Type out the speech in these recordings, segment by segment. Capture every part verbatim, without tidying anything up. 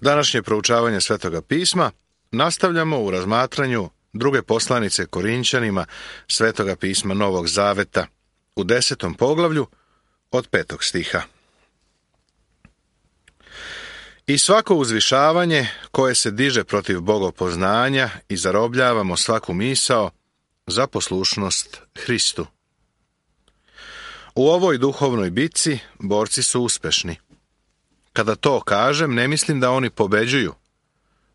Današnje proučavanje Svetoga pisma nastavljamo u razmatranju druge poslanice Korinćanima Svetoga pisma Novog Zaveta u desetom poglavlju od petog stiha. I svako uzvišavanje koje se diže protiv bogopoznanja i zarobljavamo svaku misao za poslušnost Hristu. U ovoj duhovnoj bitci borci su uspešni. Kada to kažem, ne mislim da oni pobeđuju.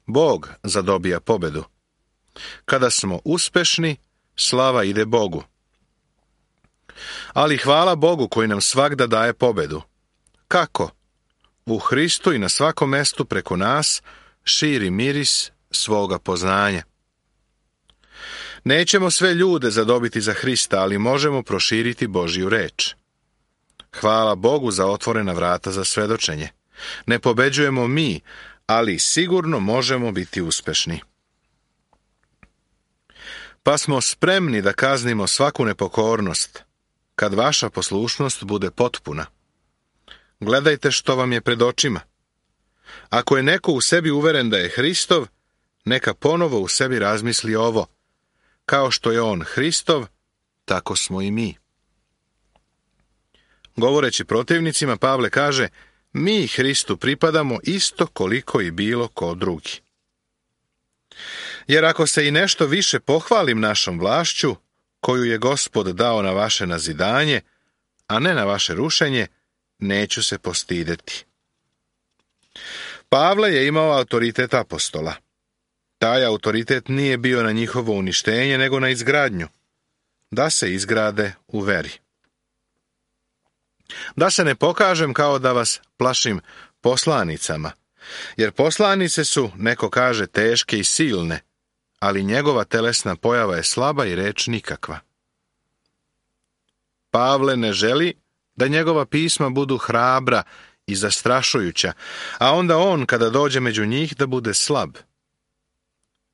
Bog zadobija pobedu. Kada smo uspešni, slava ide Bogu. Ali hvala Bogu koji nam svagda daje pobedu. Kako? U Hristu i na svakom mestu preko nas širi miris svoga poznanja. Nećemo sve ljude zadobiti za Hrista, ali možemo proširiti Božju reč. Hvala Bogu za otvorena vrata za svedočenje. Ne pobeđujemo mi, ali sigurno možemo biti uspešni. Pa smo spremni da kaznimo svaku nepokornost, kad vaša poslušnost bude potpuna. Gledajte što vam je pred očima. Ako je neko u sebi uveren da je Hristov, neka ponovo u sebi razmisli ovo. Kao što je on Hristov, tako smo i mi. Govoreći protivnicima, Pavle kaže, mi Hristu pripadamo isto koliko i bilo ko drugi. Jer ako se i nešto više pohvalim našom vlašću, koju je Gospod dao na vaše nazidanje, a ne na vaše rušenje, neću se postideti. Pavle je imao autoritet apostola. Taj autoritet nije bio na njihovo uništenje, nego na izgradnju, da se izgrade u veri. Da se ne pokažem kao da vas plašim poslanicama, jer poslanice su, neko kaže, teške i silne, ali njegova telesna pojava je slaba i reč nikakva. Pavle ne želi da njegova pisma budu hrabra i zastrašujuća, a onda on, kada dođe među njih, da bude slab.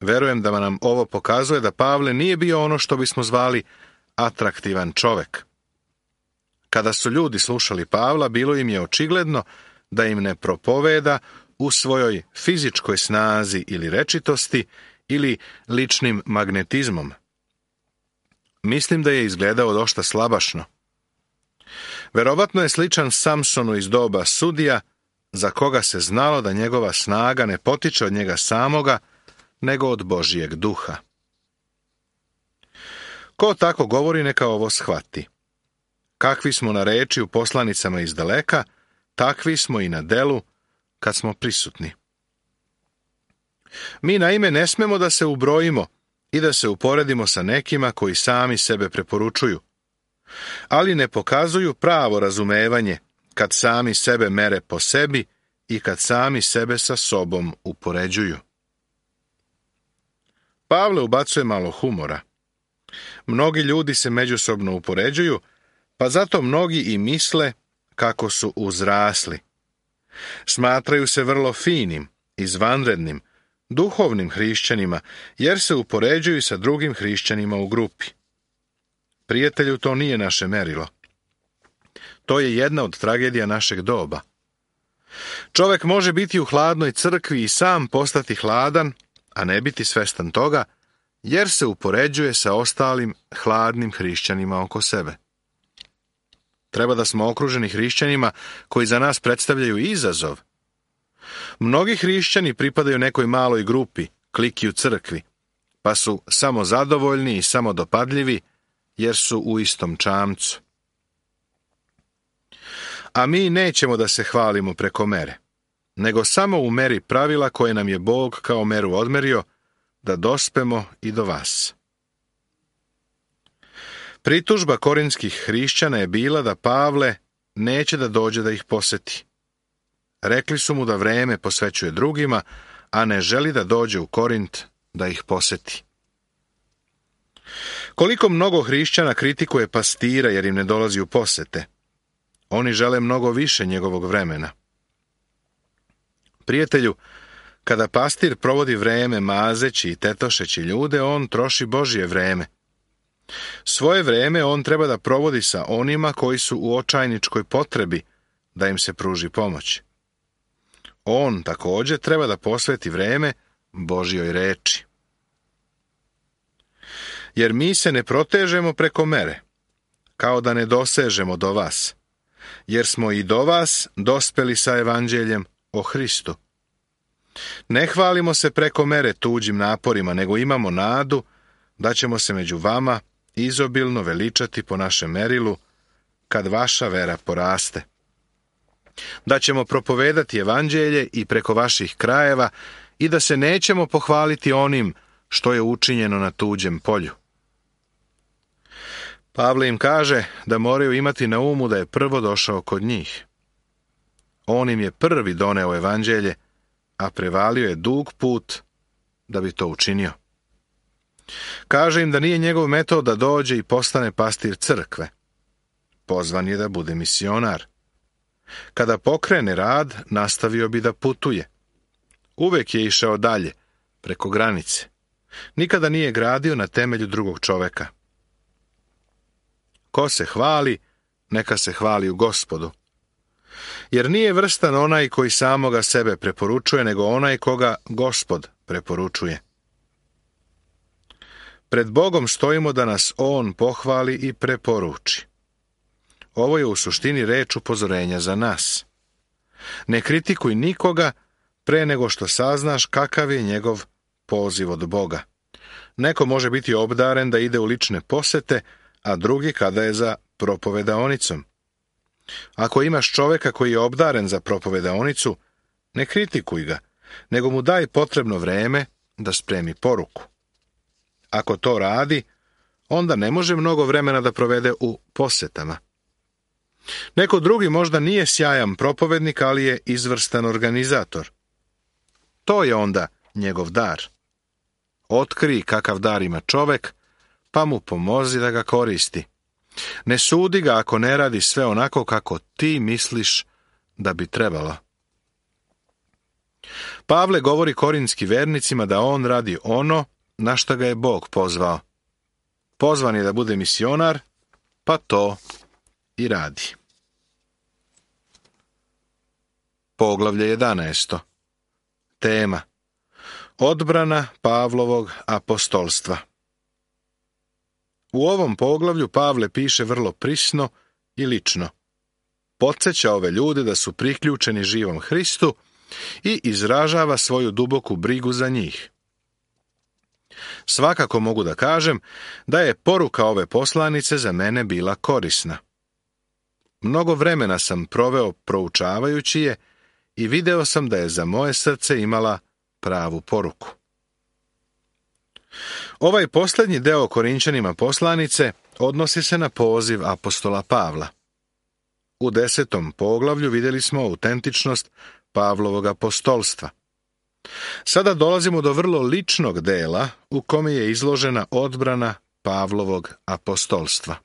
Verujem da nam ovo pokazuje da Pavle nije bio ono što bismo zvali atraktivan čovek. Kada su ljudi slušali Pavla, bilo im je očigledno da im ne propoveda u svojoj fizičkoj snazi ili rečitosti ili ličnim magnetizmom. Mislim da je izgledao dosta slabašno. Verovatno je sličan Samsonu iz doba sudija, za koga se znalo da njegova snaga ne potiče od njega samoga, nego od Božijeg duha. Ko tako govori, neka ovo shvati. Kakvi smo na reči u poslanicama iz daleka, takvi smo i na delu kad smo prisutni. Mi naime ne smemo da se ubrojimo i da se uporedimo sa nekima koji sami sebe preporučuju, ali ne pokazuju pravo razumevanje kad sami sebe mere po sebi i kad sami sebe sa sobom upoređuju. Pavle ubacuje malo humora. Mnogi ljudi se međusobno upoređuju, pa zato mnogi i misle kako su uzrasli. Smatraju se vrlo finim, izvanrednim, duhovnim hrišćanima, jer se upoređuju sa drugim hrišćanima u grupi. Prijatelju, to nije naše merilo. To je jedna od tragedija našeg doba. Čovek može biti u hladnoj crkvi i sam postati hladan, a ne biti svestan toga, jer se upoređuje sa ostalim hladnim hrišćanima oko sebe. Treba da smo okruženi hrišćanima koji za nas predstavljaju izazov. Mnogi hrišćani pripadaju nekoj maloj grupi, kliki u crkvi, pa su samo zadovoljni i samo dopadljivi, jer su u istom čamcu. A mi nećemo da se hvalimo preko mere, nego samo u meri pravila koje nam je Bog kao meru odmerio, da dospemo i do vas. Pritužba korinskih hrišćana je bila da Pavle neće da dođe da ih poseti. Rekli su mu da vreme posvećuje drugima, a ne želi da dođe u Korint da ih poseti. Koliko mnogo hrišćana kritikuje pastira jer im ne dolazi u posete. Oni žele mnogo više njegovog vremena. Prijatelju, kada pastir provodi vreme mazeći i tetošeći ljude, on troši Božje vreme. Svoje vreme on treba da provodi sa onima koji su u očajničkoj potrebi da im se pruži pomoć. On također treba da posveti vreme Božjoj reči. Jer mi se ne protežemo preko mere, kao da ne dosežemo do vas, jer smo i do vas dospeli sa evanđeljem o Hristu. Ne hvalimo se preko mere tuđim naporima, nego imamo nadu da ćemo se među vama izobilno veličati po našem merilu, kad vaša vera poraste. Da ćemo propovedati evanđelje i preko vaših krajeva i da se nećemo pohvaliti onim što je učinjeno na tuđem polju. Pavle im kaže da moraju imati na umu da je prvo došao kod njih. On im je prvi doneo evanđelje, a prevalio je dug put da bi to učinio. Kaže im da nije njegov metod da dođe i postane pastir crkve. Pozvan je da bude misionar. Kada pokrene rad, nastavio bi da putuje. Uvek je išao dalje, preko granice. Nikada nije gradio na temelju drugog čoveka. Ko se hvali, neka se hvali u Gospodu. Jer nije vrstan onaj koji samoga sebe preporučuje, nego onaj koga Gospod preporučuje. Pred Bogom stojimo da nas On pohvali i preporuči. Ovo je u suštini reč upozorenja za nas. Ne kritikuj nikoga pre nego što saznaš kakav je njegov poziv od Boga. Neko može biti obdaren da ide u lične posete, a drugi kada je za propovedaonicom. Ako imaš čoveka koji je obdaren za propovedaonicu, ne kritikuj ga, nego mu daj potrebno vreme da spremi poruku. Ako to radi, onda ne može mnogo vremena da provede u posetama. Neko drugi možda nije sjajan propovednik, ali je izvrstan organizator. To je onda njegov dar. Otkri kakav dar ima čovek, pa mu pomozi da ga koristi. Ne sudi ga ako ne radi sve onako kako ti misliš da bi trebalo. Pavle govori korintskim vernicima da on radi ono na što ga je Bog pozvao. Pozvan je da bude misionar, pa to i radi. Poglavlje jedanaesto. Tema: Odbrana Pavlovog apostolstva. U ovom poglavlju Pavle piše vrlo prisno i lično. Podsjeća ove ljude da su priključeni živom Hristu i izražava svoju duboku brigu za njih. Svakako mogu da kažem da je poruka ove poslanice za mene bila korisna. Mnogo vremena sam proveo proučavajući je i video sam da je za moje srce imala pravu poruku. Ovaj posljednji deo Korinćanima poslanice odnosi se na poziv apostola Pavla. U desetom poglavlju vidjeli smo autentičnost Pavlovog apostolstva. Sada dolazimo do vrlo ličnog dela u kome je izložena odbrana Pavlovog apostolstva.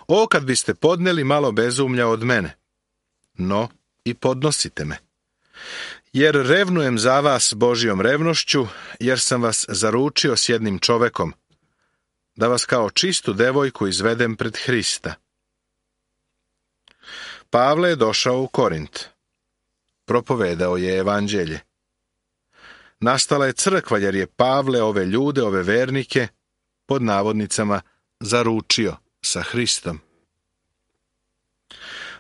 O, kad biste podneli malo bezumlja od mene, no i podnosite me. Jer revnujem za vas Božjom revnošću, jer sam vas zaručio s jednim čovekom, da vas kao čistu devojku izvedem pred Hrista. Pavle je došao u Korint. Propovedao je evanđelje. Nastala je crkva jer je Pavle ove ljude, ove vernike, pod navodnicama, zaručio sa Hristom.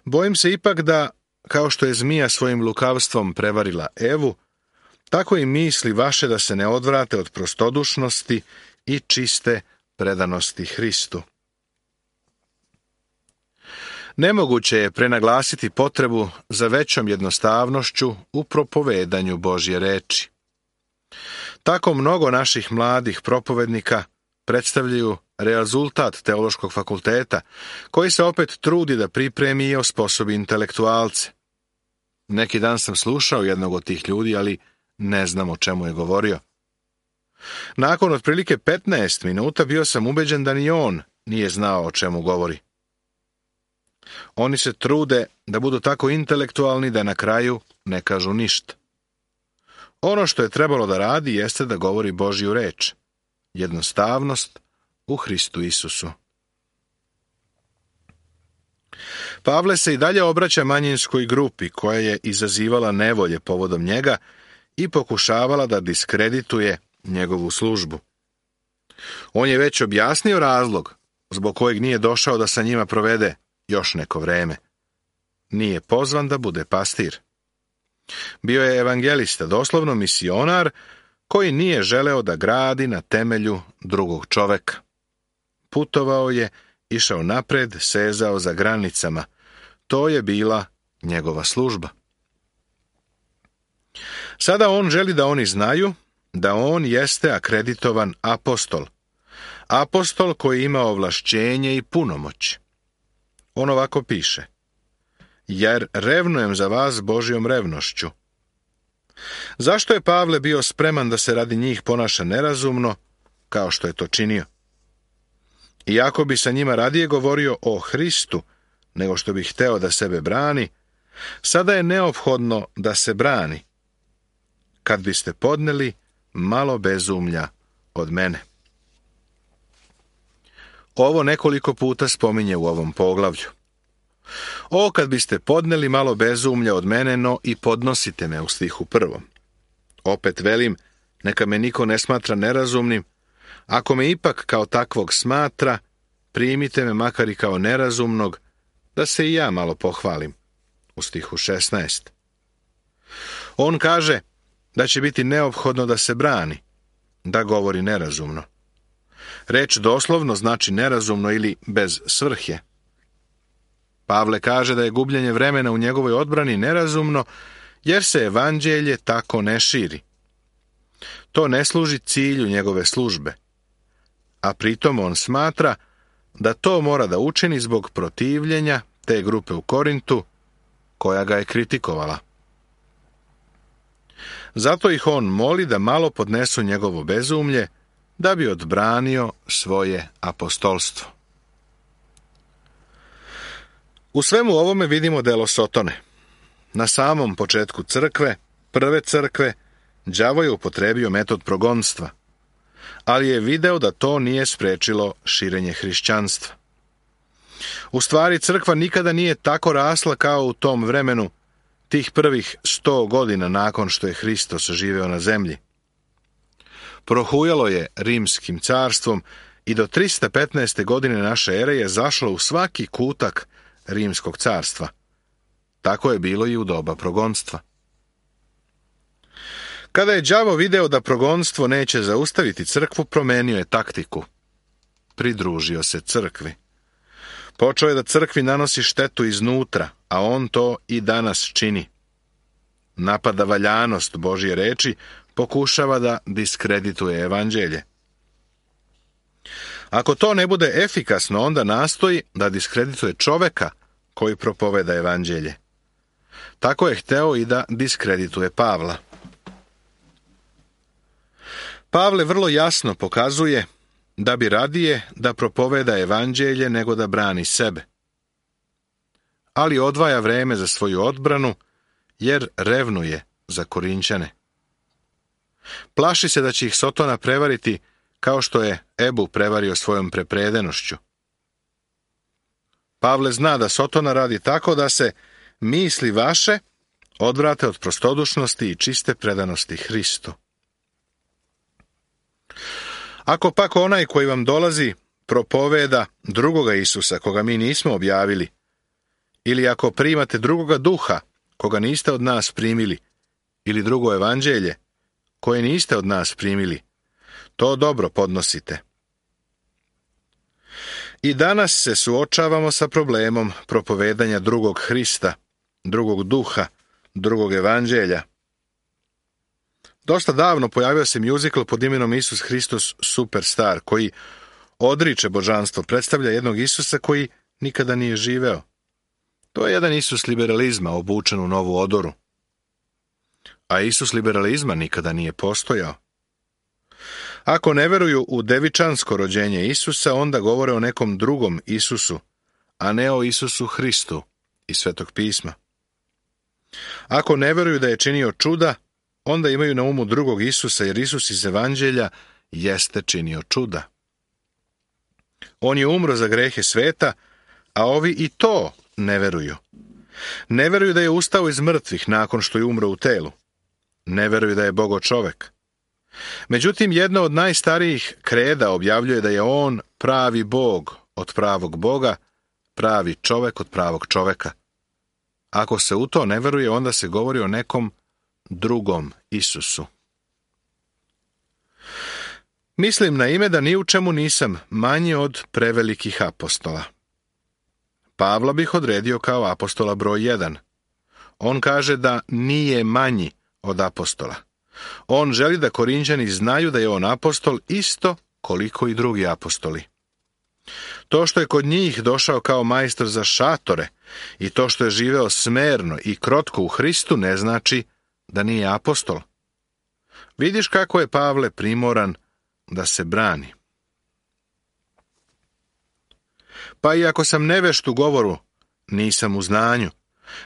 Bojim se ipak da, kao što je zmija svojim lukavstvom prevarila Evu, tako i misli vaše da se ne odvrate od prostodušnosti i čiste predanosti Hristu. Nemoguće je prenaglasiti potrebu za većom jednostavnošću u propovedanju Božje reči. Tako mnogo naših mladih propovednika predstavljaju rezultat teološkog fakulteta, koji se opet trudi da pripremi i osposobi intelektualce. Neki dan sam slušao jednog od tih ljudi, ali ne znam o čemu je govorio. Nakon otprilike petnaest minuta bio sam ubeđen da ni on nije znao o čemu govori. Oni se trude da budu tako intelektualni da na kraju ne kažu ništa. Ono što je trebalo da radi jeste da govori Božju reč. Jednostavnost u Hristu Isusu. Pavle se i dalje obraća manjinskoj grupi koja je izazivala nevolje povodom njega i pokušavala da diskredituje njegovu službu. On je već objasnio razlog zbog kojeg nije došao da sa njima provede još neko vreme. Nije pozvan da bude pastir. Bio je evangelista, doslovno misionar, koji nije želeo da gradi na temelju drugog čoveka. Putovao je, išao napred, sezao za granicama. To je bila njegova služba. Sada on želi da oni znaju da on jeste akreditovan apostol. Apostol koji ima ovlašćenje i punomoć. On ovako piše: jer revnujem za vas Božjom revnošću. Zašto je Pavle bio spreman da se radi njih ponaša nerazumno, kao što je to činio? Iako bi sa njima radije govorio o Hristu, nego što bi hteo da sebe brani, sada je neophodno da se brani. Kad biste podneli malo bezumlja od mene. Ovo nekoliko puta spominje u ovom poglavlju. O, kad biste podneli malo bezumlja od mene, no i podnosite me u stihu prvom. Opet velim, neka me niko ne smatra nerazumnim. Ako me ipak kao takvog smatra, primite me makar i kao nerazumnog, da se i ja malo pohvalim. U stihu šesnaest. On kaže da će biti neophodno da se brani, da govori nerazumno. Reč doslovno znači nerazumno ili bez svrhe. Pavle kaže da je gubljenje vremena u njegovoj odbrani nerazumno, jer se evanđelje tako ne širi. To ne služi cilju njegove službe, a pritom on smatra da to mora da učini zbog protivljenja te grupe u Korintu, koja ga je kritikovala. Zato ih on moli da malo podnesu njegovo bezumlje, da bi odbranio svoje apostolstvo. U svemu ovome vidimo delo Sotone. Na samom početku crkve, prve crkve, đavo je upotrebio metod progonstva, ali je video da to nije sprečilo širenje hrišćanstva. U stvari, crkva nikada nije tako rasla kao u tom vremenu, tih prvih sto godina nakon što je Hristos živeo na zemlji. Prohujalo je rimskim carstvom i do tristo petnaeste. godine naše ere je zašlo u svaki kutak rimskog carstva. Tako je bilo i u doba progonstva. Kada je đavo video da progonstvo neće zaustaviti crkvu, promenio je taktiku. Pridružio se crkvi. Počeo je da crkvi nanosi štetu iznutra, a on to i danas čini. Napada valjanost Božje reči, pokušava da diskredituje evanđelje. Ako to ne bude efikasno, onda nastoji da diskredituje čoveka koji propoveda evanđelje. Tako je hteo i da diskredituje Pavla. Pavle vrlo jasno pokazuje da bi radije da propoveda evanđelje nego da brani sebe. Ali odvaja vreme za svoju odbranu, jer revnuje za Korinćane. Plaši se da će ih Sotona prevariti kao što je Ebu prevario svojom prepredenošću. Pavle zna da Sotona radi tako da se misli vaše odvrate od prostodušnosti i čiste predanosti Hristu. Ako pak onaj koji vam dolazi propoveda drugoga Isusa, koga mi nismo objavili, ili ako primate drugoga duha, koga niste od nas primili, ili drugo evanđelje, koje niste od nas primili, to dobro podnosite. I danas se suočavamo sa problemom propovedanja drugog Hrista, drugog duha, drugog evanđelja. Dosta davno pojavio se mjuzikl pod imenom Isus Hristos Superstar, koji odriče božanstvo, predstavlja jednog Isusa koji nikada nije živeo. To je jedan Isus liberalizma obučen u novu odoru. A Isus liberalizma nikada nije postojao. Ako ne veruju u devičansko rođenje Isusa, onda govore o nekom drugom Isusu, a ne o Isusu Hristu iz Svetog pisma. Ako ne veruju da je činio čuda, onda imaju na umu drugog Isusa, jer Isus iz evanđelja jeste činio čuda. On je umro za grehe sveta, a ovi i to ne veruju. Ne veruju da je ustao iz mrtvih nakon što je umro u telu. Ne veruju da je Bogo čovek. Međutim, jedna od najstarijih kreda objavljuje da je on pravi Bog od pravog Boga, pravi čovek od pravog čoveka. Ako se u to ne veruje, onda se govori o nekom drugom Isusu. Mislim na ime da ni u čemu nisam manji od prevelikih apostola. Pavla bih odredio kao apostola broj jedan. On kaže da nije manji od apostola. On želi da Korinćani znaju da je on apostol isto koliko i drugi apostoli. To što je kod njih došao kao majstor za šatore i to što je živeo smerno i krotko u Hristu ne znači da nije apostol. Vidiš kako je Pavle primoran da se brani. Pa i ako sam nevešt u govoru, nisam u znanju,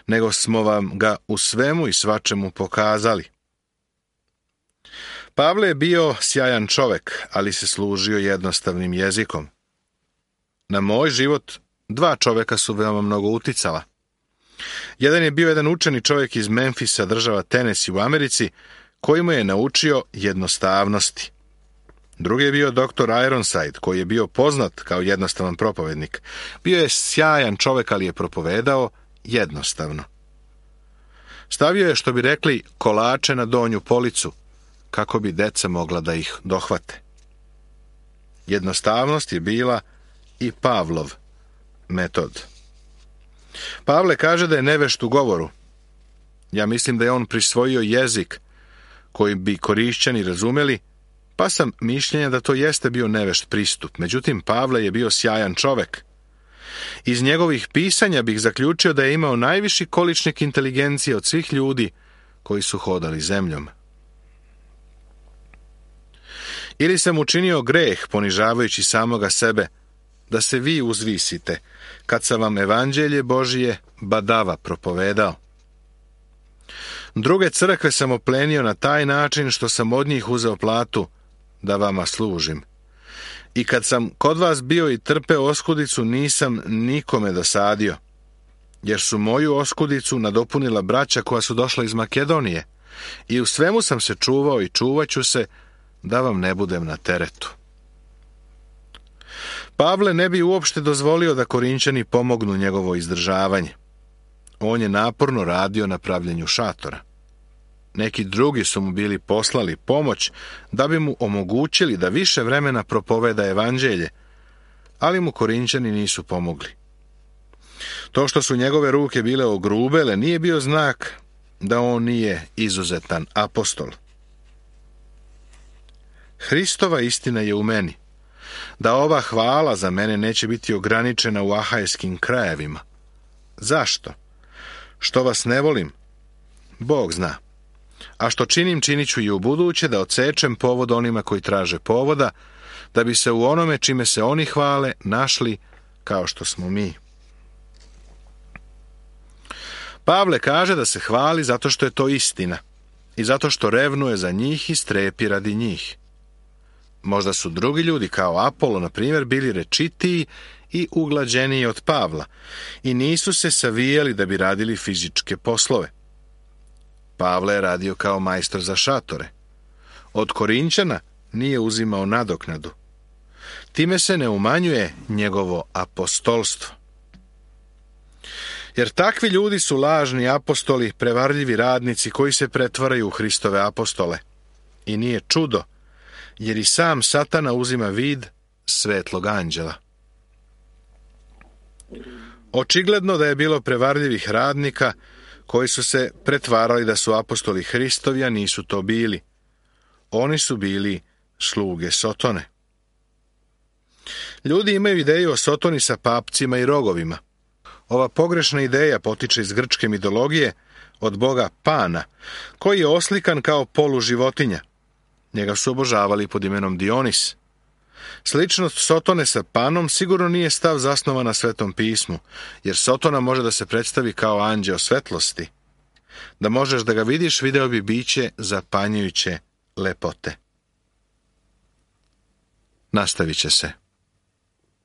nego smo vam ga u svemu i svačemu pokazali. Pavle je bio sjajan čovek, ali se služio jednostavnim jezikom. Na moj život dva čoveka su veoma mnogo uticala. Jedan je bio jedan učeni čovjek iz Memfisa, država Tennessee u Americi, koji mu je naučio jednostavnosti. Drugi je bio doktor Ironside, koji je bio poznat kao jednostavan propovednik. Bio je sjajan čovjek, ali je propovedao jednostavno. Stavio je, što bi rekli, kolače na donju policu, kako bi deca mogla da ih dohvate. Jednostavnost je bila i Pavlov metod. Pavle kaže da je nevešt u govoru. Ja mislim da je on prisvojio jezik koji bi Korišćani razumeli, pa sam mišljenja da to jeste bio nevešt pristup. Međutim, Pavle je bio sjajan čovek. Iz njegovih pisanja bih zaključio da je imao najviši količnik inteligencije od svih ljudi koji su hodali zemljom. Ili sam učinio greh ponižavajući samoga sebe, da se vi uzvisite, kad sam vam evanđelje Božije badava propovedao. Druge crkve sam oplenio na taj način što sam od njih uzeo platu da vama služim. I kad sam kod vas bio i trpeo oskudicu, nisam nikome dosadio, jer su moju oskudicu nadopunila braća koja su došla iz Makedonije, i u svemu sam se čuvao i čuvaću se da vam ne budem na teretu. Pavle ne bi uopšte dozvolio da Korinćani pomognu njegovo izdržavanje. On je naporno radio na pravljenju šatora. Neki drugi su mu bili poslali pomoć da bi mu omogućili da više vremena propoveda evanđelje, ali mu Korinćani nisu pomogli. To što su njegove ruke bile ogrubele nije bio znak da on nije izuzetan apostol. Hristova istina je u meni, da ova hvala za mene neće biti ograničena u ahajskim krajevima. Zašto? Što vas ne volim? Bog zna. A što činim, činit ću i u buduće, da odsečem povod onima koji traže povoda, da bi se u onome čime se oni hvale našli kao što smo mi. Pavle kaže da se hvali zato što je to istina i zato što revnuje za njih i strepi radi njih. Možda su drugi ljudi, kao Apolo, na primjer, bili rečitiji i uglađeniji od Pavla i nisu se savijali da bi radili fizičke poslove. Pavle je radio kao majstor za šatore. Od Korinćana nije uzimao nadoknadu. Time se ne umanjuje njegovo apostolstvo. Jer takvi ljudi su lažni apostoli, prevarljivi radnici koji se pretvaraju u Hristove apostole. I nije čudo, jer i sam Satana uzima vid svetlog anđela. Očigledno da je bilo prevarljivih radnika koji su se pretvarali da su apostoli Hristovi, a nisu to bili. Oni su bili sluge Sotone. Ljudi imaju ideju o Sotoni sa papcima i rogovima. Ova pogrešna ideja potiče iz grčke mitologije od boga Pana, koji je oslikan kao polu životinja. Njega su obožavali pod imenom Dionis. Sličnost Sotone sa Panom sigurno nije stav zasnovan na Svetom pismu, jer Sotona može da se predstavi kao anđeo svetlosti. Da možeš da ga vidiš, video bi biće zapanjujuće lepote. Nastavit će se.